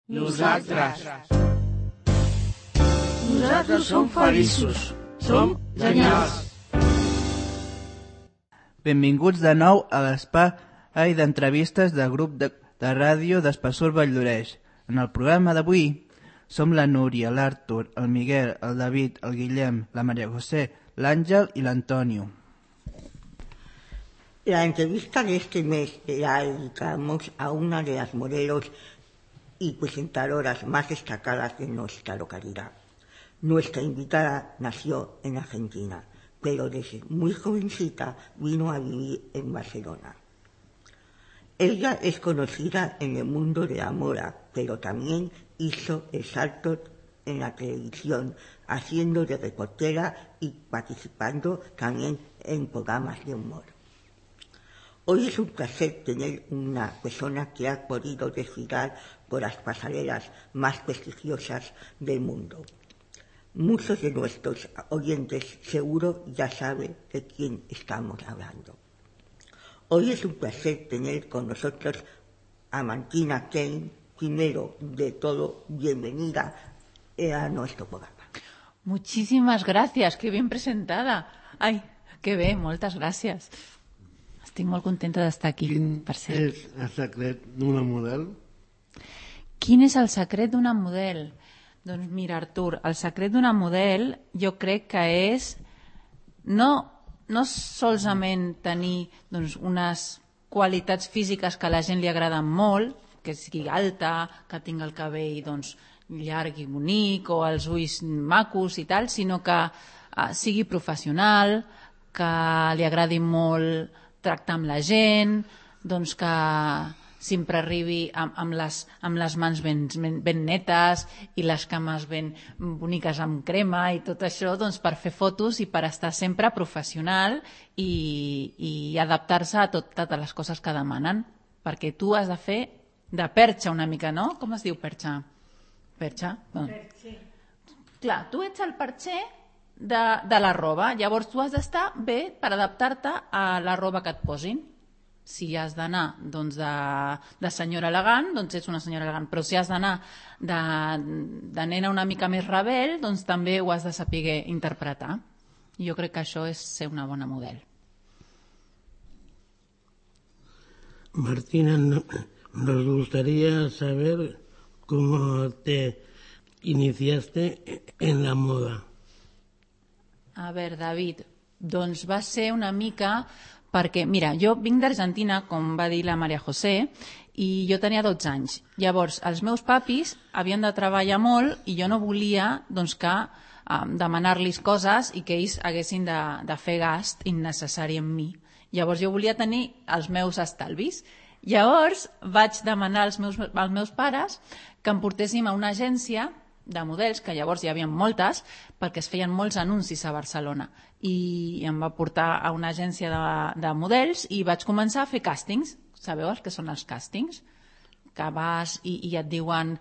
Nosaltres som feliços. Som genials. Benvinguts de nou a l'espai d'entrevistes del grup de ràdio d'Espessor Valldoreix. En el programa d'avui som la Núria, l'Artur, el Miguel, el David, el Guillem, la María José, l'Àngel y l'Antonio. La entrevista de este mes la dedicamos a una de las modelos y presentadoras más destacadas de nuestra localidad. Nuestra invitada nació en Argentina, pero desde muy jovencita vino a vivir en Barcelona. Ella es conocida en el mundo de la moda, pero también hizo el salto en la televisión, haciendo de reportera y participando también en programas de humor. Hoy es un placer tener una persona que ha podido desfilar por las pasarelas más prestigiosas del mundo. Muchos de nuestros oyentes seguro ya saben de quién estamos hablando. Hoy es un placer tener con nosotros a Martina Kane. Primero de todo, bienvenida a nuestro programa. Muchísimas gracias, qué bien presentada. Ai, que bé, moltes gràcies. Estic molt contenta d'estar aquí. Quin per ser. és el secret d'una model? Quin és el secret d'una model? Doncs mira, Artur, el secret d'una model jo crec que és no solament tenir unes qualitats físiques que a la gent li agraden molt, que sigui alta, que tingui el cabell llarg i bonic o els ulls macos i tal, sinó que sigui professional, que li agradi molt tractar amb la gent, que sempre arribi amb les mans ben netes i les cames ben boniques amb crema i tot això per fer fotos i per estar sempre professional i adaptar-se a totes les coses que demanen, perquè tu has de fer de perxa una mica, no? Com es diu perxa? Perxa? Perxer. Clar, tu ets el perxer de la roba, llavors tu has d'estar bé per adaptar-te a la roba que et posin. Si has d'anar de senyora elegant, ets una senyora elegant, però si has d'anar de nena una mica més rebel, també ho has de saber interpretar. Jo crec que això és ser una bona model. Martina, nos gustaría saber cómo te iniciaste en la moda. A veure, David, va ser una mica perquè, mira, jo vinc d'Argentina, com va dir la María José, i jo tenia 12 anys. Llavors, els meus papis havien de treballar molt i jo no volia demanar-los coses i que ells haguessin de fer gast innecessari en mi. Llavors, jo volia tenir els meus estalvis. Llavors, vaig demanar als meus pares que em portéssim a una agència de models, que llavors hi havia moltes, perquè es feien molts anuncis a Barcelona. I em va portar a una agència de models i vaig començar a fer càstings. Sabeu els que són els càstings? Que vas i et diuen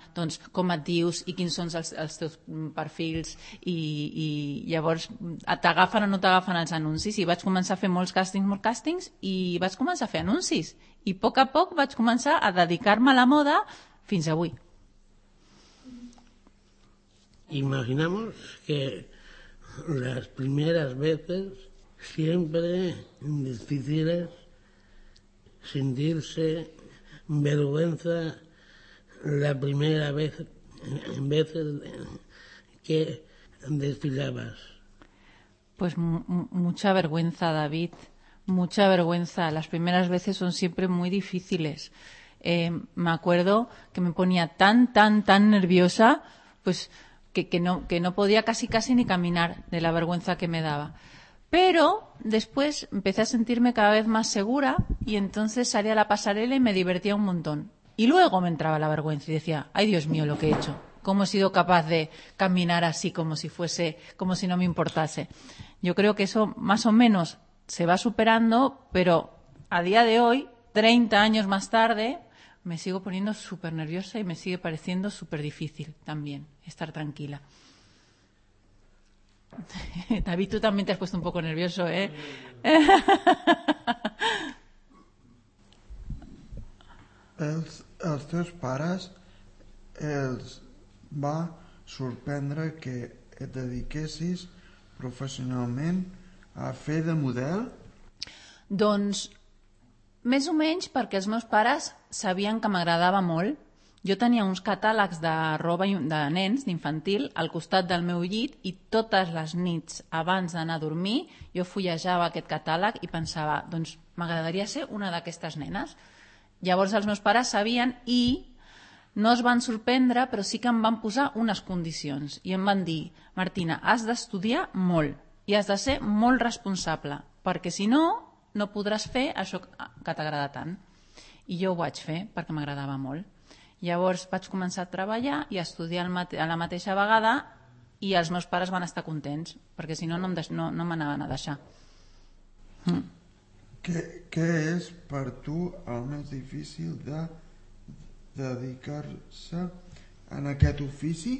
com et dius i quins són els teus perfils i llavors t'agafen o no t'agafen els anuncis. I vaig començar a fer molts càstings i vaig començar a fer anuncis. I a poc vaig començar a dedicar-me a la moda fins avui. Imaginamos que las primeras veces siempre difíciles, sentirse vergüenza la primera vez que desfilabas. Pues mucha vergüenza, David, mucha vergüenza. Las primeras veces son siempre muy difíciles. Me acuerdo que me ponía tan nerviosa, pues que no podía casi ni caminar de la vergüenza que me daba. Pero después empecé a sentirme cada vez más segura y entonces salía a la pasarela y me divertía un montón. Y luego me entraba la vergüenza y decía, ay Dios mío lo que he hecho, cómo he sido capaz de caminar así como si no me importase. Yo creo que eso más o menos se va superando, pero a día de hoy, 30 años más tarde, me sigo poniendo súper nerviosa y me sigue pareciendo súper difícil también estar tranquila. David, tú también te has puesto un poco nervioso, ¿eh? Els teus pares els va sorprendre que et dediquessis professionalment a fer de model? Doncs més o menys perquè els meus pares sabien que m'agradava molt. Jo tenia uns catàlegs de roba de nens, d'infantil, al costat del meu llit i totes les nits abans d'anar a dormir jo fullejava aquest catàleg i pensava, doncs m'agradaria ser una d'aquestes nenes. Llavors els meus pares sabien i no es van sorprendre, però sí que em van posar unes condicions i em van dir, Martina, has d'estudiar molt i has de ser molt responsable, perquè si no, no podràs fer això que t'agrada tant. I jo ho vaig fer perquè m'agradava molt. Llavors vaig començar a treballar i a estudiar a la mateixa vegada i els meus pares van estar contents, perquè si no, no m'anaven a deixar. Què és per tu el més difícil de dedicar-se en aquest ofici?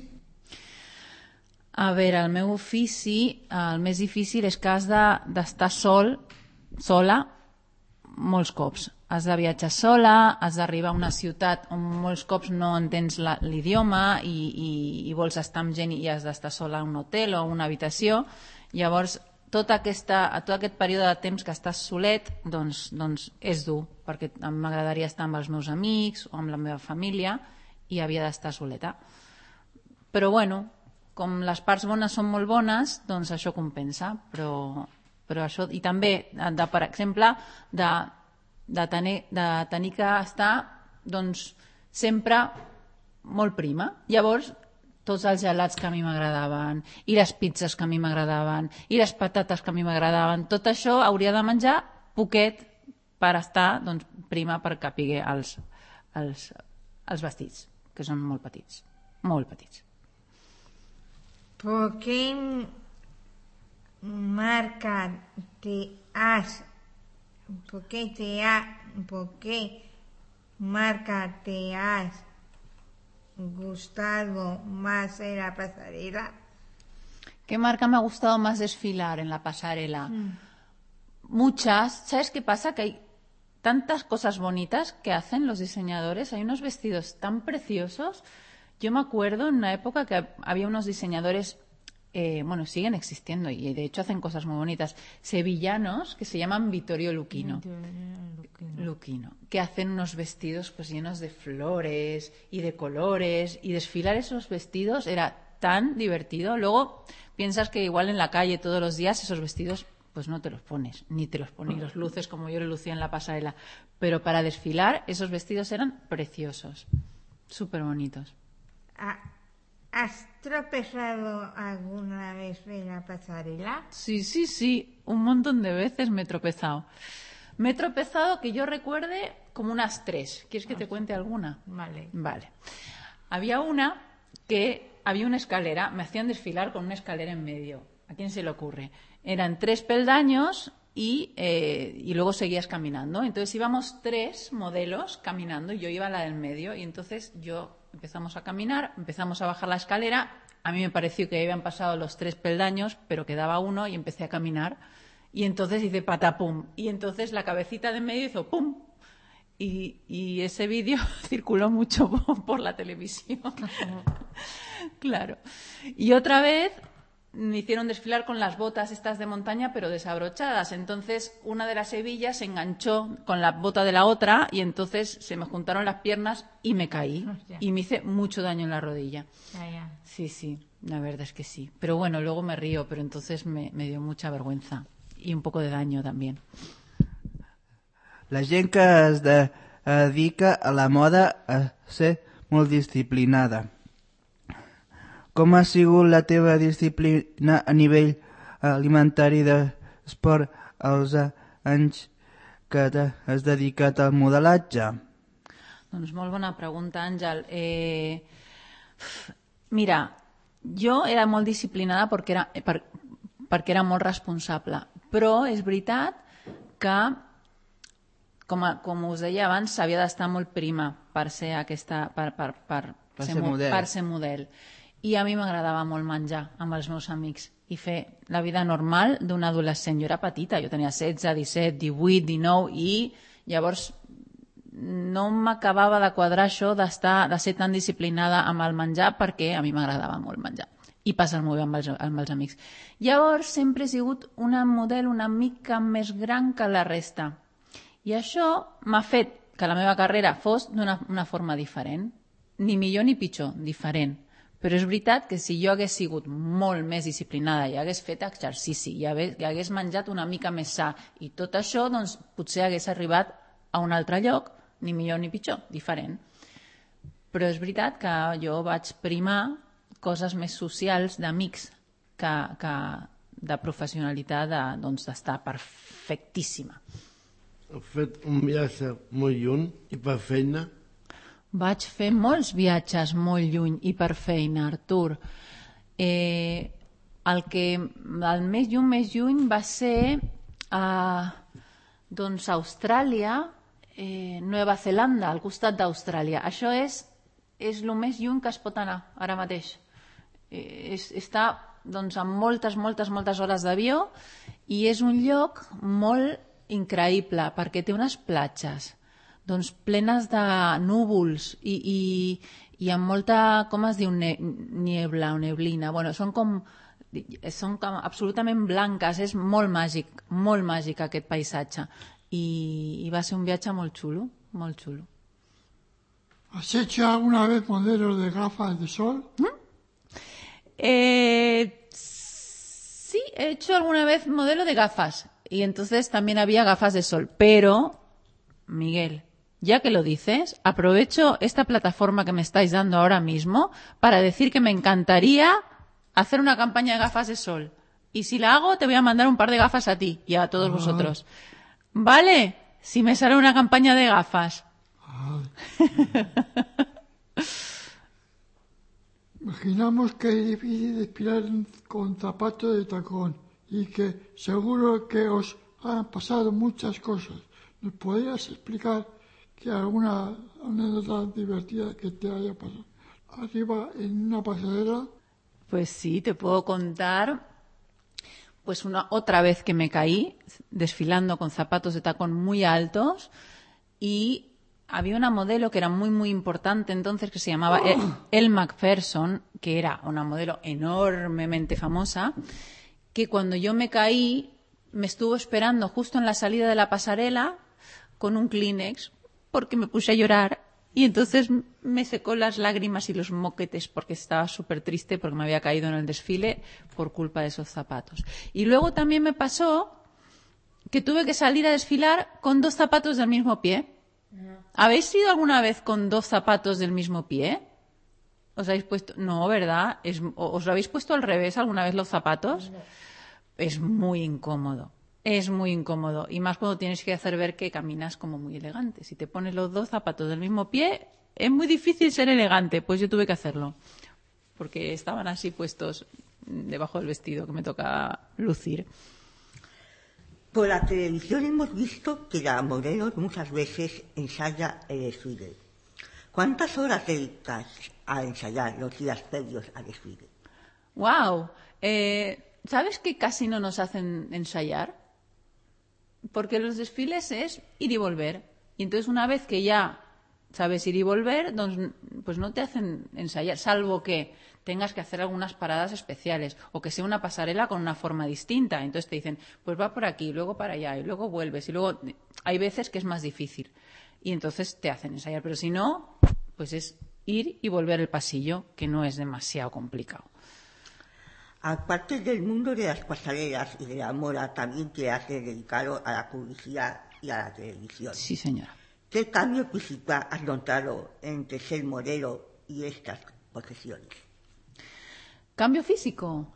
A veure, el meu ofici, el més difícil és que has d'estar sola, molts cops. Has de viatjar sola, has d'arribar a una ciutat on molts cops no entens l'idioma i vols estar amb gent i has d'estar sola a un hotel o a una habitació. Llavors, tot aquest període de temps que estàs solet doncs és dur, perquè m'agradaria estar amb els meus amics o amb la meva família i havia d'estar soleta. Però bueno, com les parts bones són molt bones, doncs això compensa. Però això, i també, per exemple, de tenir que estar doncs, sempre molt prima. Llavors, tots els gelats que a mi m'agradaven, i les pizzas que a mi m'agradaven, i les patates que a mi m'agradaven, tot això hauria de menjar poquet per estar doncs, prima per capiguer els vestits, que són molt petits, molt petits. ¿Por qué marca te has gustado más en la pasarela? ¿Qué marca me ha gustado más desfilar en la pasarela? Muchas. ¿Sabes qué pasa? Que hay tantas cosas bonitas que hacen los diseñadores. Hay unos vestidos tan preciosos. Yo me acuerdo en una época que había unos diseñadores, siguen existiendo y de hecho hacen cosas muy bonitas, sevillanos que se llaman Vittorio Luchino, que hacen unos vestidos pues llenos de flores y de colores, y desfilar esos vestidos era tan divertido. Luego piensas que igual en la calle todos los días esos vestidos pues no te los pones, ni te los pones, los luces como yo lo lucía en la pasarela, pero para desfilar esos vestidos eran preciosos, súper bonitos. ¿Has tropezado alguna vez en la pasarela? Sí, un montón de veces me he tropezado. Me he tropezado, que yo recuerde, como unas 3. ¿Quieres que te cuente alguna? Vale. Había una que había una escalera, me hacían desfilar con una escalera en medio. ¿A quién se le ocurre? Eran 3 peldaños y luego seguías caminando. Entonces íbamos 3 modelos caminando y yo iba a la del medio, y entonces empezamos a caminar, empezamos a bajar la escalera. A mí me pareció que habían pasado los 3 peldaños, pero quedaba uno, y empecé a caminar. Y entonces hice patapum. Y entonces la cabecita de en medio hizo pum. Y ese vídeo circuló mucho por la televisión. Claro. Y otra vez me hicieron desfilar con las botas estas de montaña, pero desabrochadas. Entonces una de las hebillas se enganchó con la bota de la otra y entonces se me juntaron las piernas y me caí. Y me hice mucho daño en la rodilla. Sí, la verdad es que sí. Pero bueno, luego me río, pero entonces me dio mucha vergüenza y un poco de daño también. La gent que es dedica a la moda a ser molt disciplinada. Com ha sigut la teva disciplina a nivell alimentari d'esport als anys que t'has dedicat al modelatge? Doncs molt bona pregunta, Àngel. Mira, jo era molt disciplinada perquè era molt responsable, però és veritat que, com us deia abans, s'havia d'estar molt prima per ser ser model. I a mi m'agradava molt menjar amb els meus amics i fer la vida normal d'un adolescent. Jo era petita, jo tenia 16, 17, 18, 19 i llavors no m'acabava de quadrar això de ser tan disciplinada amb el menjar, perquè a mi m'agradava molt menjar i passar-m'ho bé amb els amics. Llavors sempre he sigut una model una mica més gran que la resta. I això m'ha fet que la meva carrera fos d'una forma diferent. Ni millor ni pitjor, diferent. Però és veritat que si jo hagués sigut molt més disciplinada i hagués fet exercici i hagués menjat una mica més sa i tot això, doncs potser hagués arribat a un altre lloc, ni millor ni pitjor, diferent. Però és veritat que jo vaig primar coses més socials d'amics que de professionalitat d'estar perfectíssima. Has fet un viatge molt lluny i per feina? Vaig fer molts viatges molt lluny i per feina, Artur. El més lluny va ser a Austràlia, Nova Zelanda, al costat d'Austràlia. Això és el més lluny que es pot anar ara mateix. Està amb moltes hores d'avió i és un lloc molt increïble perquè té unes platges plenes de núvols i amb molta, com es diu, niebla o neblina. Són com absolutament blanques, és molt màgic aquest paisatge. I va ser un viatge molt xulo, molt xulo. ¿Has hecho alguna vez modelos de gafas de sol? Sí, he hecho alguna vez modelo de gafas y entonces también había gafas de sol, pero, Miguel, ya que lo dices, aprovecho esta plataforma que me estáis dando ahora mismo para decir que me encantaría hacer una campaña de gafas de sol. Y si la hago, te voy a mandar un par de gafas a ti y a todos vosotros. ¿Vale? Si me sale una campaña de gafas. Imaginamos que es difícil desfilar con zapatos de tacón y que seguro que os han pasado muchas cosas. ¿Nos podrías explicar que alguna anécdota divertida que te haya pasado arriba en una pasarela? Pues sí, te puedo contar. Pues otra vez que me caí desfilando con zapatos de tacón muy altos y había una modelo que era muy importante entonces que se llamaba Elle Macpherson, que era una modelo enormemente famosa, que cuando yo me caí me estuvo esperando justo en la salida de la pasarela con un Kleenex porque me puse a llorar y entonces me secó las lágrimas y los moquetes porque estaba súper triste porque me había caído en el desfile por culpa de esos zapatos. Y luego también me pasó que tuve que salir a desfilar con 2 zapatos del mismo pie. ¿Habéis ido alguna vez con 2 zapatos del mismo pie? ¿Os habéis puesto? No, ¿verdad? ¿Os lo habéis puesto al revés alguna vez los zapatos? No. Es muy incómodo. Es muy incómodo. Y más cuando tienes que hacer ver que caminas como muy elegante. Si te pones los 2 zapatos del mismo pie, es muy difícil ser elegante. Pues yo tuve que hacerlo. Porque estaban así puestos debajo del vestido que me tocaba lucir. Por la televisión hemos visto que la modelo muchas veces ensaya el desfile. ¿Cuántas horas dedicas a ensayar los días previos al desfile? ¡Wow! ¿Sabes que casi no nos hacen ensayar? Porque los desfiles es ir y volver. Y entonces una vez que ya sabes ir y volver, pues no te hacen ensayar, salvo que tengas que hacer algunas paradas especiales o que sea una pasarela con una forma distinta. Entonces te dicen, pues va por aquí, luego para allá, y luego vuelves. Y luego hay veces que es más difícil. Y entonces te hacen ensayar. Pero si no, pues es ir y volver el pasillo, que no es demasiado complicado. Aparte del mundo de las pasarelas y de la moda, también te has dedicado a la publicidad y a la televisión. Sí, señora. ¿¿Qué cambio principal has notado entre ser modelo y estas profesiones? ¿Cambio físico?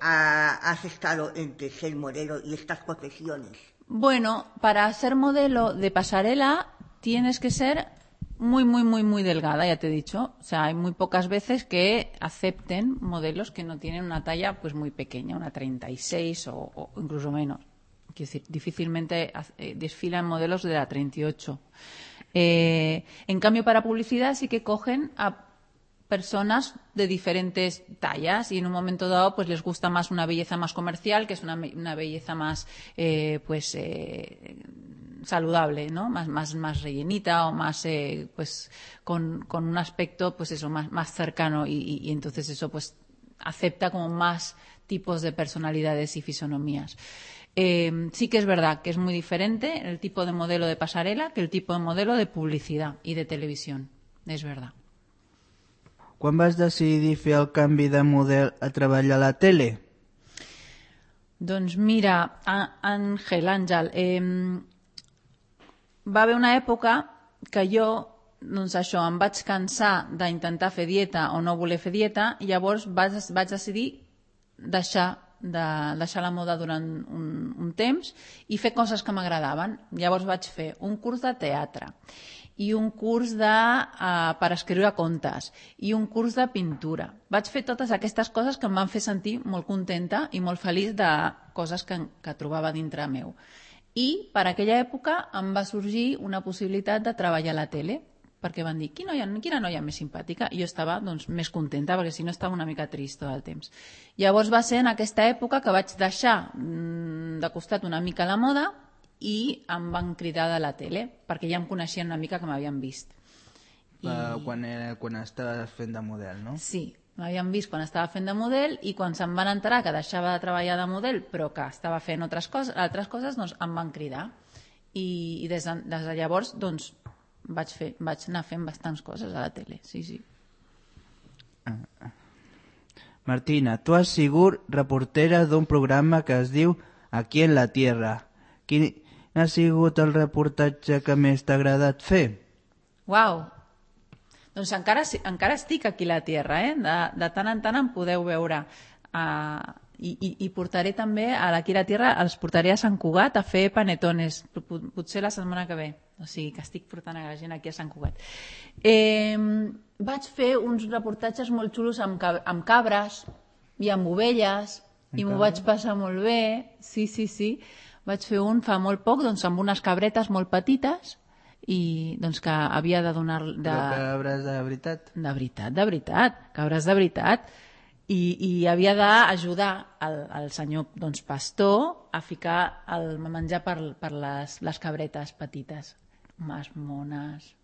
¿Has estado entre ser modelo y estas profesiones? Bueno, para ser modelo de pasarela tienes que ser muy delgada, ya te he dicho. O sea, hay muy pocas veces que acepten modelos que no tienen una talla pues muy pequeña, una 36 o incluso menos. Quiero decir, difícilmente desfilan modelos de la 38. En cambio, para publicidad sí que cogen a personas de diferentes tallas y en un momento dado pues les gusta más una belleza más comercial, que es una belleza más saludable, ¿no? Más rellenita o más pues con un aspecto pues eso más cercano y entonces eso pues acepta como más tipos de personalidades y fisonomías. Sí que es verdad que es muy diferente el tipo de modelo de pasarela que el tipo de modelo de publicidad y de televisión, és verdad. Quan vas decidir fer el canvi de model a treballar a la tele? Doncs mira, Àngel, va haver una època que jo, doncs això, em vaig cansar d'intentar fer dieta o no voler fer dieta i llavors vaig decidir deixar la moda durant un temps i fer coses que m'agradaven. Llavors vaig fer un curs de teatre i un curs per escriure contes i un curs de pintura. Vaig fer totes aquestes coses que em van fer sentir molt contenta i molt feliç de coses que trobava dintre meu. I per aquella època em va sorgir una possibilitat de treballar a la tele, perquè van dir, quina noia més simpàtica, i jo estava doncs, més contenta, perquè si no estava una mica trist tot el temps. Llavors va ser en aquesta època que vaig deixar de costat una mica la moda i em van cridar de la tele, perquè ja em coneixien una mica que m'havien vist. Quan estaves fent de model, no? Sí, m'havien vist quan estava fent de model i quan se'n van enterar que deixava de treballar de model però que estava fent altres coses, doncs em van cridar. I des de llavors doncs, vaig anar fent bastants coses a la tele, sí. Martina, tu has sigut reportera d'un programa que es diu Aquí en la Tierra. Quin ha sigut el reportatge que més t'ha agradat fer? Uau! Doncs encara estic aquí a la Tierra, de tant en tant em podeu veure. I portaré també, aquí a la Tierra, els portaré a Sant Cugat a fer panetones, potser la setmana que ve. O sigui que estic portant a la gent aquí a Sant Cugat. Vaig fer uns reportatges molt xulos amb cabres i amb ovelles i m'ho vaig passar molt bé. Sí. Vaig fer un fa molt poc amb unes cabretes molt petites i que havia de donar... Cabres de veritat? De veritat, cabres de veritat. I havia d'ajudar el senyor pastor a ficar el menjar per les cabretes petites. Más mones.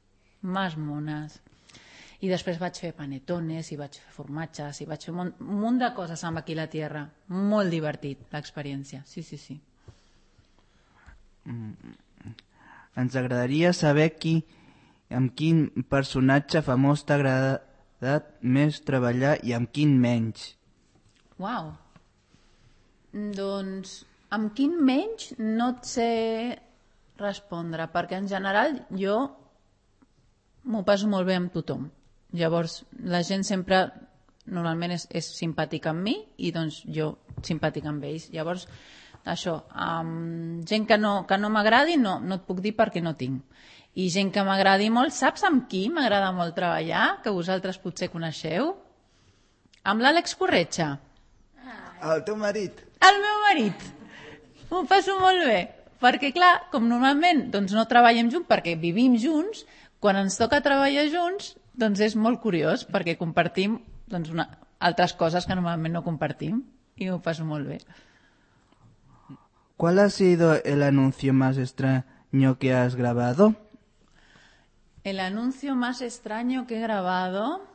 I després vaig fer panetones i vaig fer formatges i vaig fer un munt de coses amb Aquí la Tierra. Molt divertit, l'experiència. Sí. Ens agradaria saber amb quin personatge famós t'ha agradat més treballar i amb quin menys. Uau! Doncs amb quin menys no et sé respondre, perquè en general jo m'ho passo molt bé amb tothom. Llavors la gent sempre normalment és simpàtica amb mi i doncs jo simpàtica amb ells. Llavors això, gent que no m'agradi no et puc dir perquè no tinc. I gent que m'agradi molt, saps amb qui m'agrada molt treballar? Que vosaltres potser coneixeu? Amb l'Àlex Corretja. El teu marit? El meu marit. M'ho passo molt bé. Perquè clar, com normalment no treballem junts perquè vivim junts, quan ens toca treballar junts doncs és molt curiós perquè compartim altres coses que normalment no compartim i m'ho passo molt bé. ¿Cuál ha sido el anuncio más extraño que has grabado? El anuncio más extraño que he grabado...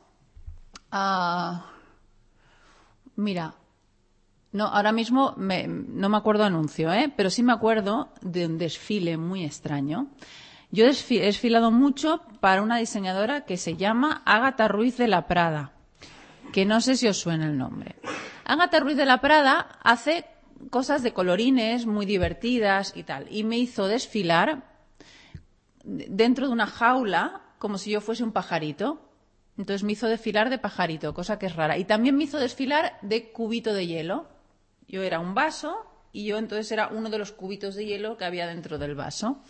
Mira, no, ahora mismo no me acuerdo anuncio, pero sí me acuerdo de un desfile muy extraño. Yo he desfilado mucho para una diseñadora que se llama Ágata Ruiz de la Prada, que no sé si os suena el nombre. Ágata Ruiz de la Prada hace cosas de colorines muy divertidas y tal, y me hizo desfilar dentro de una jaula como si yo fuese un pajarito. Entonces me hizo desfilar de pajarito, cosa que es rara. Y también me hizo desfilar de cubito de hielo. Yo era un vaso y yo entonces era uno de los cubitos de hielo que había dentro del vaso.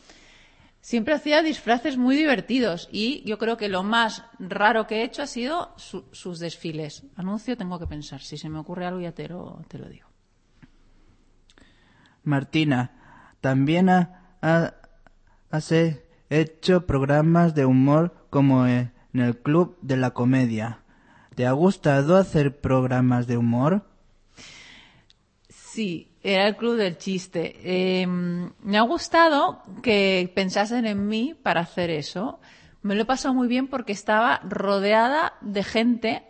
Siempre hacía disfraces muy divertidos y yo creo que lo más raro que he hecho ha sido sus desfiles. Anuncio tengo que pensar, si se me ocurre algo ya te lo digo. Martina, también has hecho programas de humor como en el Club de la Comedia. ¿Te ha gustado hacer programas de humor? Sí, era el club del chiste. Me ha gustado que pensasen en mí para hacer eso. Me lo he pasado muy bien porque estaba rodeada de gente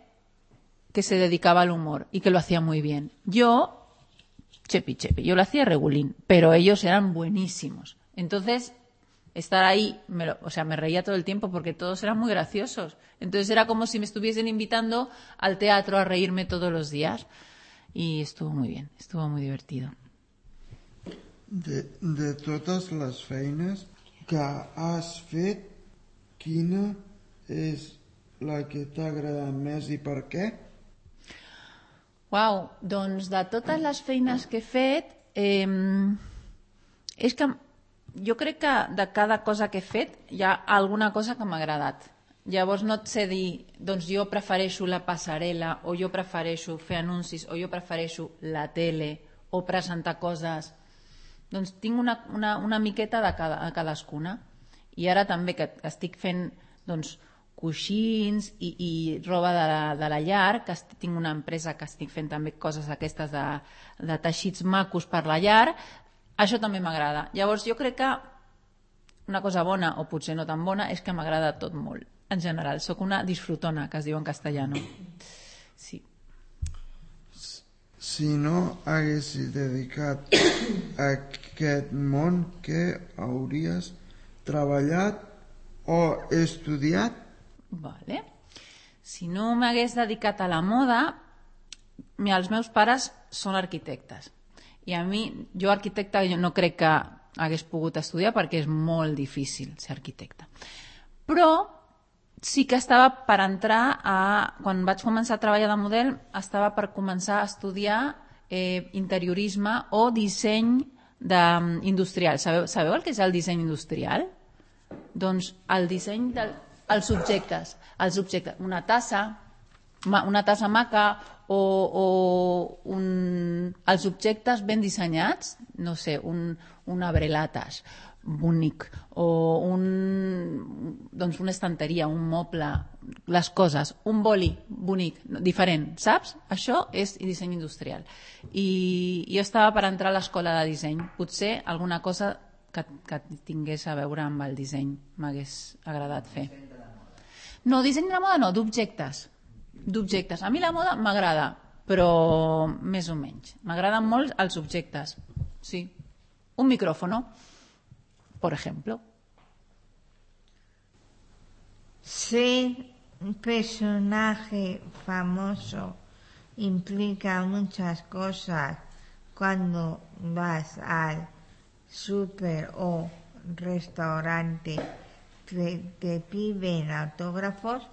que se dedicaba al humor y que lo hacía muy bien. Yo, chepi, yo lo hacía regulín, pero ellos eran buenísimos. Entonces, estar ahí, me reía todo el tiempo porque todos eran muy graciosos. Entonces era como si me estuviesen invitando al teatro a reírme todos los días. Y estuvo muy bien, estuvo muy divertido. De totes les feines que has fet, quina és la que t'ha agradat més i per què? Uau, doncs de totes les feines que he fet, és que jo crec que de cada cosa que he fet hi ha alguna cosa que m'ha agradat. Llavors no et sé dir, doncs jo prefereixo la passarel·la, o jo prefereixo fer anuncis, o jo prefereixo la tele, o presentar coses. Doncs tinc una miqueta de cadascuna. I ara també que estic fent doncs, coixins i roba de la llar, que tinc una empresa que estic fent també coses aquestes de teixits macos per la llar, això també m'agrada. Llavors jo crec que una cosa bona, o potser no tan bona, és que m'agrada tot molt. En general, sóc una disfrutona, que es diu en castellano. Sí. Si no haguessis dedicat a aquest món, què hauries treballat o estudiat? Vale. Si no m'hagués dedicat a la moda, els meus pares són arquitectes. I a mi, jo arquitecta, jo no crec que hagués pogut estudiar perquè és molt difícil ser arquitecta. Però sí que estava per entrar quan vaig començar a treballar de model, estava per començar a estudiar interiorisme o disseny industrial. Sabeu el que és el disseny industrial? Doncs el disseny dels objectes. Una tassa maca o els objectes ben dissenyats, no sé, un abrelatas bonic o una estanteria, un moble, les coses, un boli bonic, diferent, saps? Això és disseny industrial. I jo estava per entrar a l'escola de disseny. Potser alguna cosa que tingués a veure amb el disseny m'hagués agradat fer. No, disseny de la moda no, d'objectes. A mi la moda m'agrada, però més o menys. M'agraden molt els objectes. Sí. Un micrófono, por ejemplo. Ser un personaje famoso implica muchas cosas cuando vas al súper o restaurante. ¿Te piden autógrafos?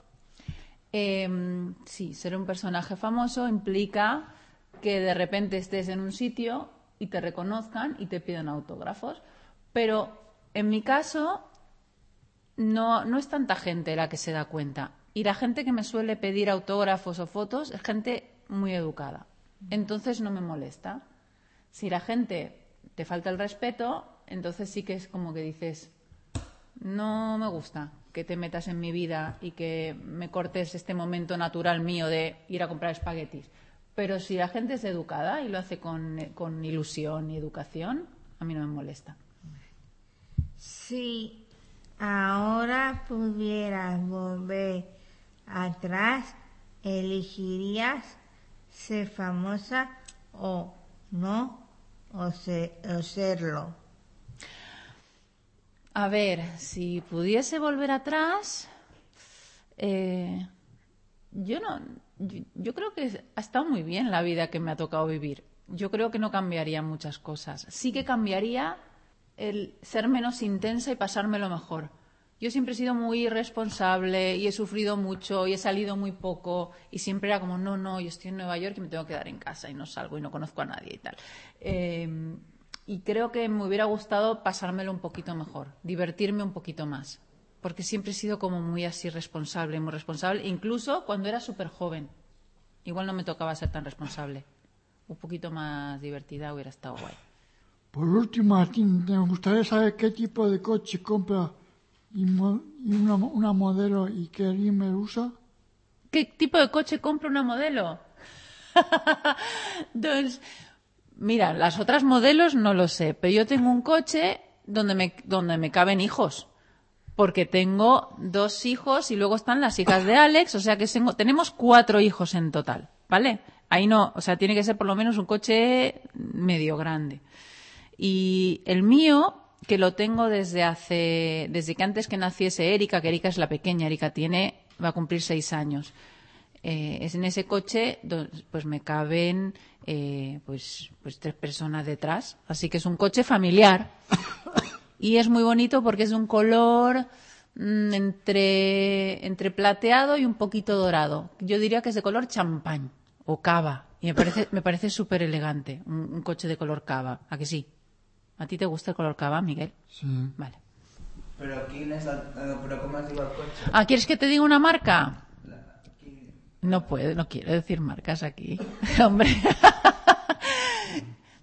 Sí, ser un personaje famoso implica que de repente estés en un sitio y te reconozcan y te pidan autógrafos. Pero en mi caso no es tanta gente la que se da cuenta. Y la gente que me suele pedir autógrafos o fotos es gente muy educada. Entonces no me molesta. Si la gente te falta el respeto, entonces sí que es como que dices, no me gusta que te metas en mi vida y que me cortes este momento natural mío de ir a comprar espaguetis. Pero si la gente es educada y lo hace con ilusión y educación, a mí no me molesta. Si ahora pudieras volver atrás, ¿elegirías ser famosa o no? O serlo. A ver, si pudiese volver atrás, yo creo que ha estado muy bien la vida que me ha tocado vivir. Yo creo que no cambiaría muchas cosas. Sí que cambiaría el ser menos intensa y pasármelo mejor. Yo siempre he sido muy responsable y he sufrido mucho y he salido muy poco y siempre era como, no, yo estoy en Nueva York y me tengo que quedar en casa y no salgo y no conozco a nadie y tal. Y creo que me hubiera gustado pasármelo un poquito mejor, divertirme un poquito más, porque siempre he sido como muy así responsable, incluso cuando era súper joven. Igual no me tocaba ser tan responsable. Un poquito más divertida hubiera estado guay. Por último, me gustaría saber qué tipo de coche compra y una modelo y qué rímel usa. ¿Qué tipo de coche compra una modelo? Doncs Mira, las otras modelos no lo sé, pero yo tengo un coche donde me caben hijos. Porque tengo 2 hijos y luego están las hijas de Alex, o sea que tenemos 4 hijos en total, ¿vale? Ahí no, o sea, tiene que ser por lo menos un coche medio grande. Y el mío, que lo tengo desde que antes que naciese Erika, que Erika es la pequeña, Erika va a cumplir 6 años. Es en ese coche, pues me caben pues 3 personas detrás, así que es un coche familiar. Y es muy bonito porque es de un color entre plateado y un poquito dorado. Yo diría que es de color champán o cava. Y me parece súper elegante un coche de color cava. ¿A que sí? ¿A ti te gusta el color cava, Miguel? Sí. Vale. Però com es diu el cotxe? Ah, ¿quieres que te diga una marca? No quiero decir marcas aquí. Hombre.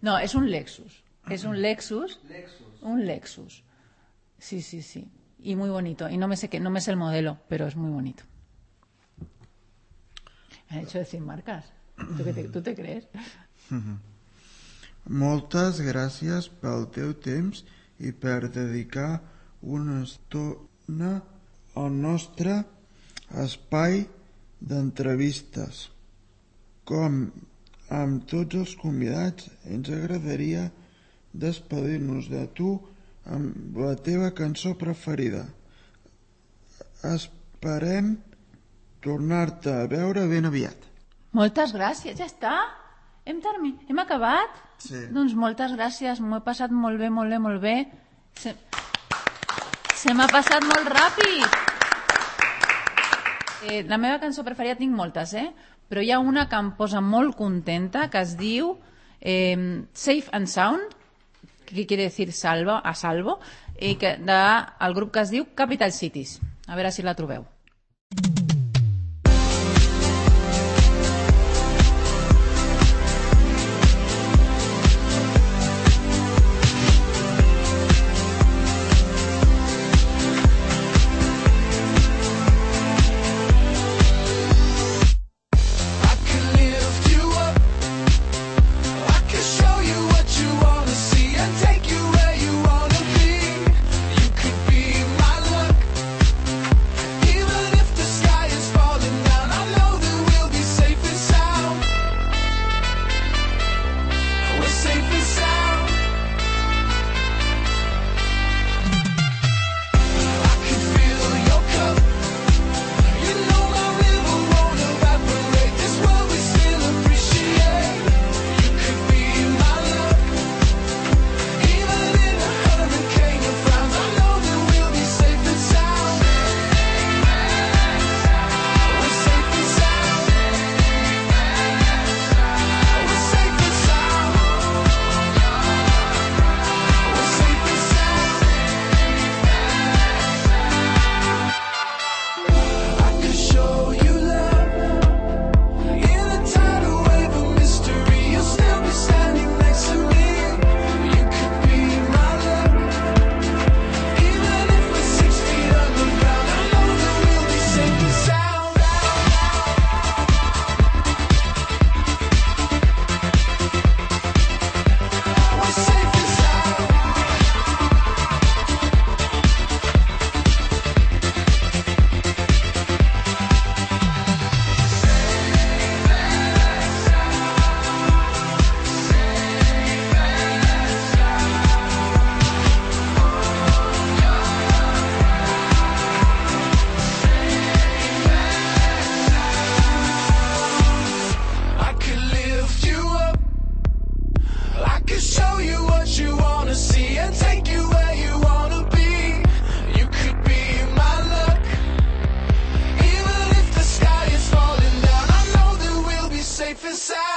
No, es un Lexus. Es un Lexus. Un Lexus. Sí. Y muy bonito. Y no me sé el modelo, pero es muy bonito. Me han hecho decir marcas. ¿Tú te crees? Moltes gràcies pel teu temps i per dedicar una estona al nostre espai d'entrevistes. Com amb tots els convidats, ens agradaria despedir-nos de tu amb la teva cançó preferida. Esperem tornar-te a veure ben aviat. Moltes gràcies, ja està? Hem acabat? Sí. Doncs moltes gràcies, m'ho he passat molt bé. Se m'ha passat molt ràpid. La meva cançó preferida tinc moltes, però hi ha una que em posa molt contenta, que es diu Safe and Sound, que quiere decir a salvo, i del grup que es diu Capital Cities. A veure si la trobeu. Safe and sound.